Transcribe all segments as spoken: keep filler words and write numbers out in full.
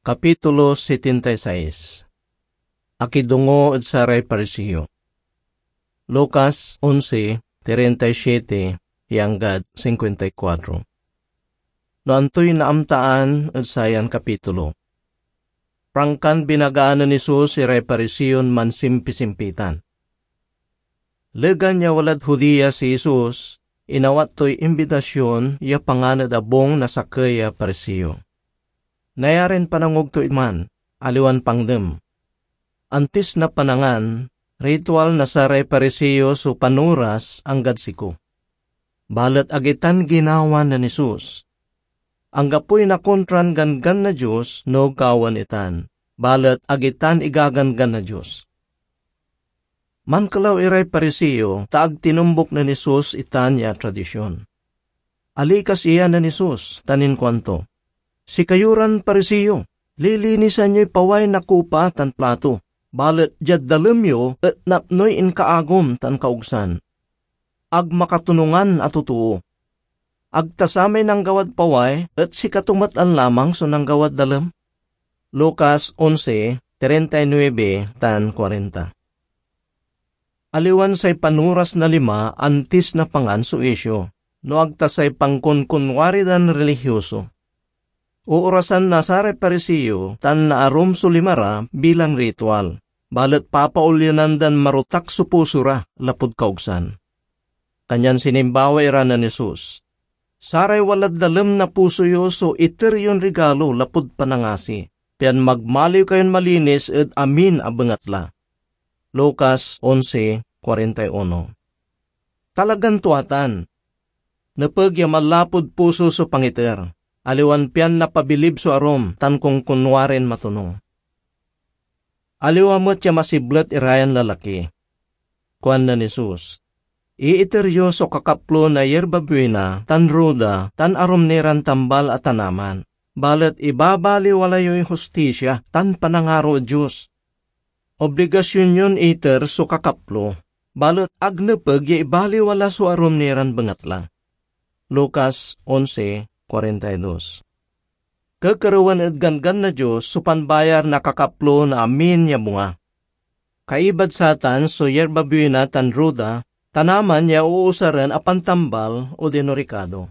Kapitulo setenta y seis. Akidongo ed saray Pariseo. Lucas onse, treinta y siete ya anggad cincuenta y cuatro. No antoy naamtaan ed sayan kapitulo? Prangkan binagaan nen Jesus iray Pariseon mansimpisimpitan. Legan ya walad Judea si Jesus, inawat toy imbitasyon ya pangan ed abung na sakey a Pariseo. Nayarin panangog to iman, aliwan pangdem. Antis na panangan, ritual na saray Pariseo so panoras anggad siko. Balet ag itan ginawa nen Jesus. Anggapoy nakontran ganggan na Dios no gawaen itan, balet ag itan igaganggan na Dios. Mankelaw iray Pariseo, ta ag tinumbok nen Jesus itan ya tradision. Alikas iya nen Jesus tan inkuanto, "Sikayo ran Pariseo, lilinisan yoy paway na kupa tan plato, balet diad dalem yo et napnoy inkaagom tan kaogsan. Ag makatonungan a totoo. Ag ta samay nanggawad paway et sikato met lan lamang so nanggawad dalem?" Lucas onse, treinta y nuebe tan kuarenta. Aliwan say panoras na lima antis na pangan so isyu, no ag ta say pankonkunwari dan relihioso. Oorasan na saray Pariseo tan naarum so lima ra bilang ritual, balet papaolyanan dan marotak so puso ra lapud kaogsan. Kanyan sinimbawa ira nen Jesus, "Saray walad dalem na puso yo so iter yon rigalo lapud panangasi, pian magmaliw kayon malinis ed amin a bengatla." Lucas onse, kuarenta y uno. Talagan tua tan. Nepeg ya manlapud puso so pangiter, aliwan pian napabilib so arum tan konkunwarin matonung. Aliwa met ya masiblet irayan lalaki. Kuan nen Jesus, "Iiter yo so kakaplo na yerba buina tan ruda tan arum ni ran tambal a tanaman, balet ibabaliwala yoy hostisia tan panangaro ed Dios. Obligasion yon iter so kakaplo, balet ag nepeg ya ibaliwala so arum ni ran bengatla." Lucas onse, kuarenta y dos. Kekerewen ed Ganggan na Dios so panbayar na kakaplo na amin ya bunga. Kaibad satan so yerba buina tan ruda, tanaman ya uusaren a pantambal odino rikado.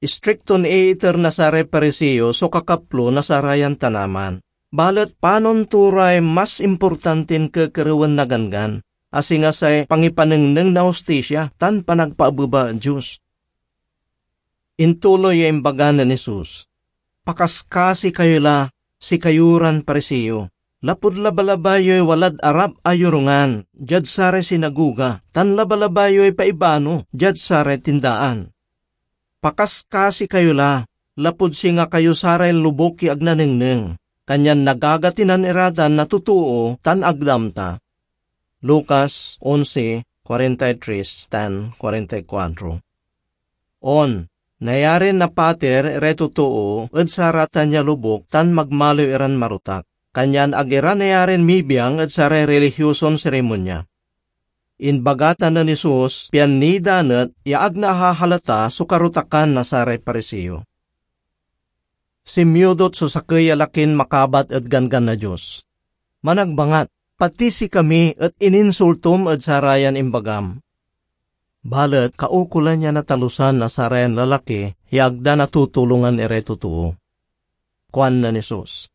Istrikton iiter na saray Pariseo so kakaplo na sarayan tanaman, balet panon to ray mas importantin kekerewen na Ganggan, a singa say pangipanengneng na hostisia tan panagpaabeba ed Dios. Intuloy ya imbaga nen Jesus, "Pakaskasi kayo la, sikayo ran Pariseo, lapud labalabay yoy walad arap a yorungan diad saray sinagoga, tan labalabay yoy paibano diad saray tindaan. Pakaskasi kayo la, lapud singa kayo saray lobuk ya ag nanengneng, kanyan nagagatinan ira tan na totoo tan ag da amta." Lucas onse, kuarenta y tres tan kuarenta y kuatro. On, nayarin napater iray totoo ed saratan ya lobuk tan magmaliw iran marotak, kanyan ag ira nayarin mibiang ed saray relihioson serimonya. Imbaga tan nen Jesus pian nidanet ya ag nahahalata so karotakan na saray Pariseo. Sinmiudot so sakey a lakin makabat ed Ganggan na Dios. Managbangat, pati sikami et ininsultom ed sarayan imbagam. Balet kaukolan ya natalusan na sarayan lalaki ya ag da natutulongan iray totoo. Kuan nen Jesus,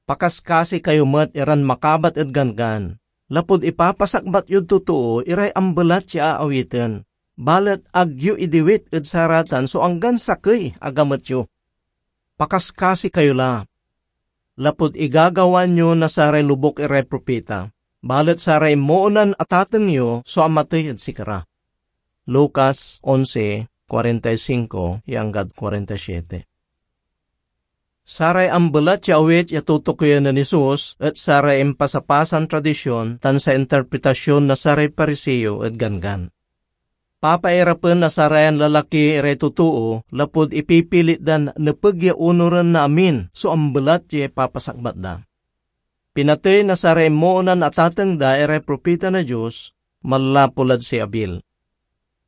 "Pakaskasi kayo met iran makabat ed Ganggan, lapud ipapasakbat yod totoo iray ambelat ya aawiten, balet ag yo idiwit ed saratan so anggan sakey a gamet yo. Pakaskasi kayo la, lapud igagawaan yo na saray lobuk iray propita, balet saray imoonan a tateng yo so amatey ed sikara." Lucas onse, kuarenta y singko ya anggad kuarenta y siete. Saray ambelat ya awit ya tutukoyen nen Jesus et saray impasapasan tradision tan say interpretasyon na saray Pariseo ed Ganggan. Papairapen na sarayan lalaki iray totoo lapud ipipilit dan nepeg ya onoren na amin so ambelat ya ipapasakbat da. Pinatey na saray imoonan a tateng da iray propita na Dios, manlapud lad si Abel.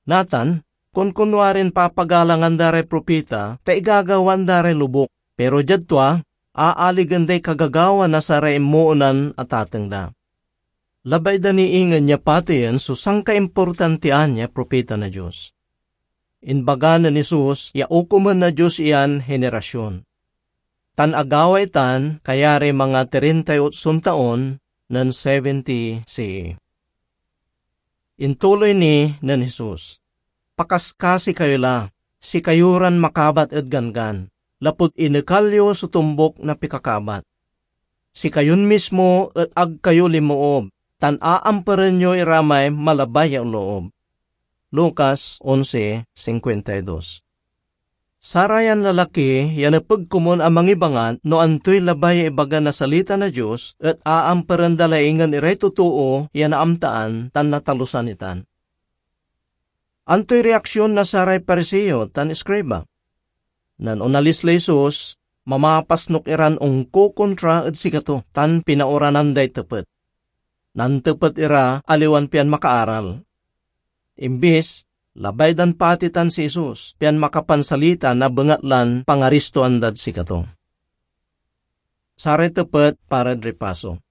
Natan, kunkunwarin papagalangan da ray propita ta igagawaan da ray lobuk, pero diad tua, aaligen day kagagawa na saray imoonan atateng da. Labay da ni ingen ya pateyen so sankaimportantian ya propeta na Dios. Inbaga nen Jesus ya okomen na Dios iyan henerasion, tan agaway tan kayariy manga trintay otson taon nen seventy C E. Intuloy ni nen Jesus, "Pakaskasi kayo la, sikayo ran makabat ed ganggan, lapud inekal yo so tombok na pikakabat. Sikayon mismo et ag kayo linmoob, tan aamperen yo ira may malabay ya onloob." Lucas onse cincuenta y dos. Sarayan lalaki ya nepeg komun a mangibangat no antoy labay ya ibaga na salita na Dios et aamperen da lay ingen iray totoo ya naamtaan tan natalusan itan. Antoy reaksion na saray Pariseo tan iskriba? Nen onalis lay Jesus, mamapasnok iran onkokontra ed sikato tan pinaoranan day tepet. Nantepet ira aliwan pian makaaral. Imbis, labay dan patetan si Jesus pian makapansalita na bengatlan pangaristoan dad sikato. Saray tepet parad ripaso.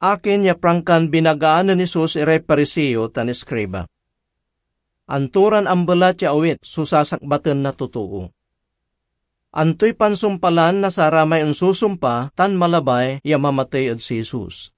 Akin ya prangkan binagaan nen Jesus iray Pariseo tan iskriba? Anto ran ambelat ya awit so sasakbaten na totoo? Antoy pansumpalan na saramay onsusumpa tan malabay ya mamatey ed si Jesus?